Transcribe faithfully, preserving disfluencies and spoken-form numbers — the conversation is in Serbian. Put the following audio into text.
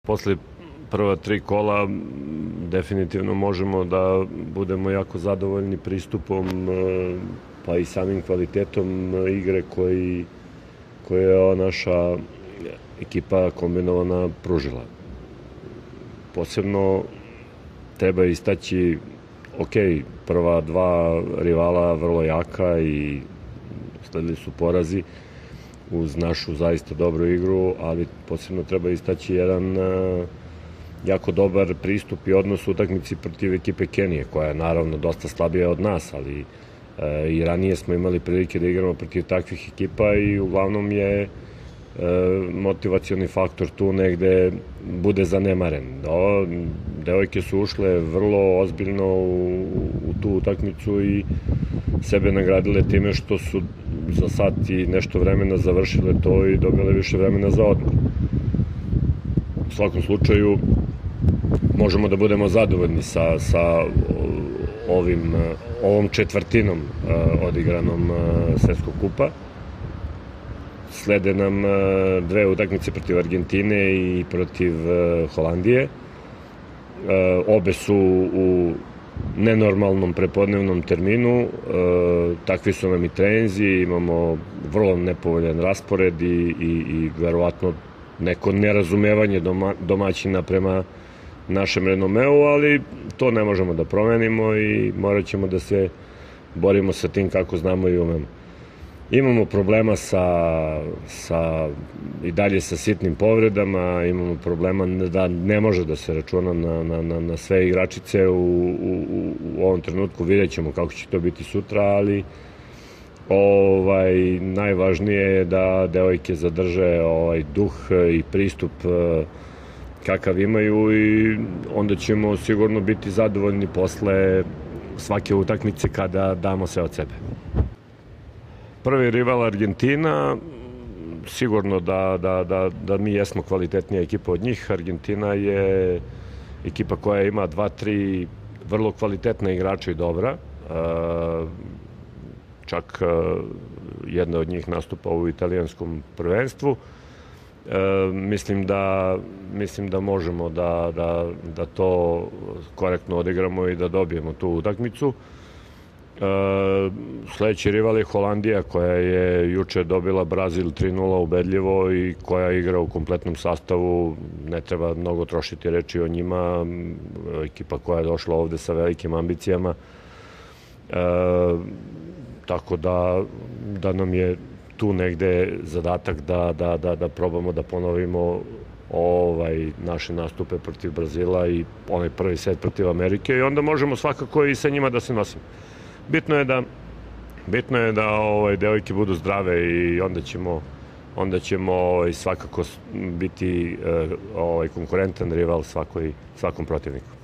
Posle prva tri kola definitivno možemo da budemo jako zadovoljni pristupom pa i samim kvalitetom igre koji, koje je ova naša ekipa kombinovana pružila. Posebno treba istaći, ok, prva dva rivala vrlo jaka i sledili su porazi uz našu zaista dobru igru, ali posebno treba istaći jedan jako dobar pristup i odnos u utakmici protiv ekipe Kenije, koja je naravno dosta slabija od nas, ali i ranije smo imali prilike da igramo protiv takvih ekipa i uglavnom je motivacioni faktor tu negde bude zanemaren. Devojke su ušle vrlo ozbiljno u, u tu utakmicu i sebe nagradile time što su za sat i nešto vremena završile to i dobile više vremena za odmor. U svakom slučaju možemo da budemo zadovoljni sa, sa ovim, ovom četvrtinom odigranom Svetskog kupa. Slede nam dve utakmice protiv Argentine i protiv Holandije. Obe su u nenormalnom prepodnevnom terminu, takvi su nam i treninzi, imamo vrlo nepovoljan raspored i, i, i verovatno neko nerazumevanje doma, domaćina prema našem renomeu, ali to ne možemo da promenimo i morat ćemo da se borimo sa tim kako znamo i umemo. Imamo problema sa, sa, i dalje sa sitnim povredama, imamo problema da ne može da se računa na, na, na sve igračice u, u, u ovom trenutku, vidjet ćemo kako će to biti sutra, ali ovaj, najvažnije je da devojke zadrže ovaj duh i pristup kakav imaju i onda ćemo sigurno biti zadovoljni posle svake utakmice kada damo sve od sebe. Prvi rival Argentina, sigurno da, da, da, da mi jesmo kvalitetnija ekipa od njih. Argentina je ekipa koja ima dva, tri vrlo kvalitetna igrača i dobra. Čak jedna od njih nastupa u italijanskom prvenstvu. Mislim da, mislim da možemo da, da, da to korektno odigramo i da dobijemo tu utakmicu. Sledeći rival je Holandija, koja je juče dobila Brazil tri nula ubedljivo i koja igra u kompletnom sastavu. Ne treba mnogo trošiti reči o njima, ekipa koja je došla ovde sa velikim ambicijama, tako da, da nam je tu negde zadatak da, da, da, da probamo da ponovimo ovaj, naše nastupe protiv Brazila i onaj prvi set protiv Amerike i onda možemo svakako i sa njima da se nosimo. Bitno je da, bitno je da ovaj, devojke budu zdrave i onda ćemo, onda ćemo ovaj, svakako biti ovaj, konkurentan rival svakoj, svakom protivniku.